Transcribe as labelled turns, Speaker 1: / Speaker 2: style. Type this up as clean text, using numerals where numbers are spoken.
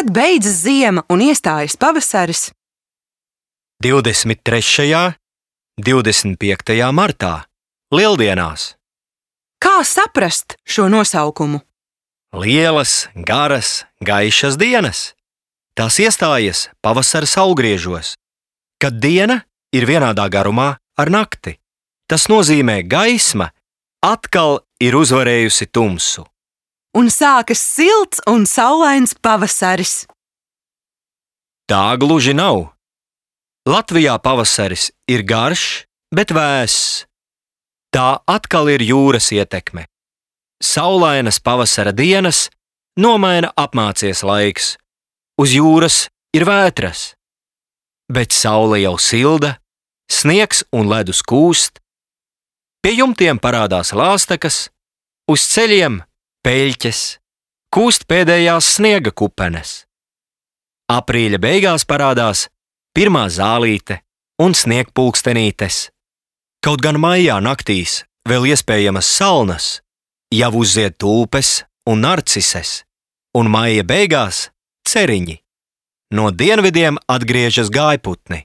Speaker 1: Kad beidzas ziema un iestājas pavasaris?
Speaker 2: 23. 25. martā, Lieldienās.
Speaker 1: Kā saprast šo nosaukumu?
Speaker 2: Lielas, garas, gaišas dienas. Tās iestājas pavasara saulgriežos, kad diena ir vienādā garumā ar nakti. Tas nozīmē, gaisma atkal ir uzvarējusi tumsu.
Speaker 1: Un sākas silts un saulains pavasaris.
Speaker 2: Tā gluži nav. Latvijā pavasaris ir garš, bet vēss. Tā atkal ir jūras ietekme. Saulainas pavasara dienas nomaina apmācies laiks. Uz jūras ir vētras. Bet saule jau silda, sniegs un ledus kūst. Pie jumtiem parādās lāstekas, uz ceļiem peļķes, kūst pēdējās sniega kupenes. Aprīļa beigās parādās pirmā zālīte un sniegpulkstenītes. Kaut gan maijā naktīs vēl iespējamas salnas, jau uzzied tulpes un narcises, un maija beigās ceriņi. No dienvidiem atgriežas gājputni.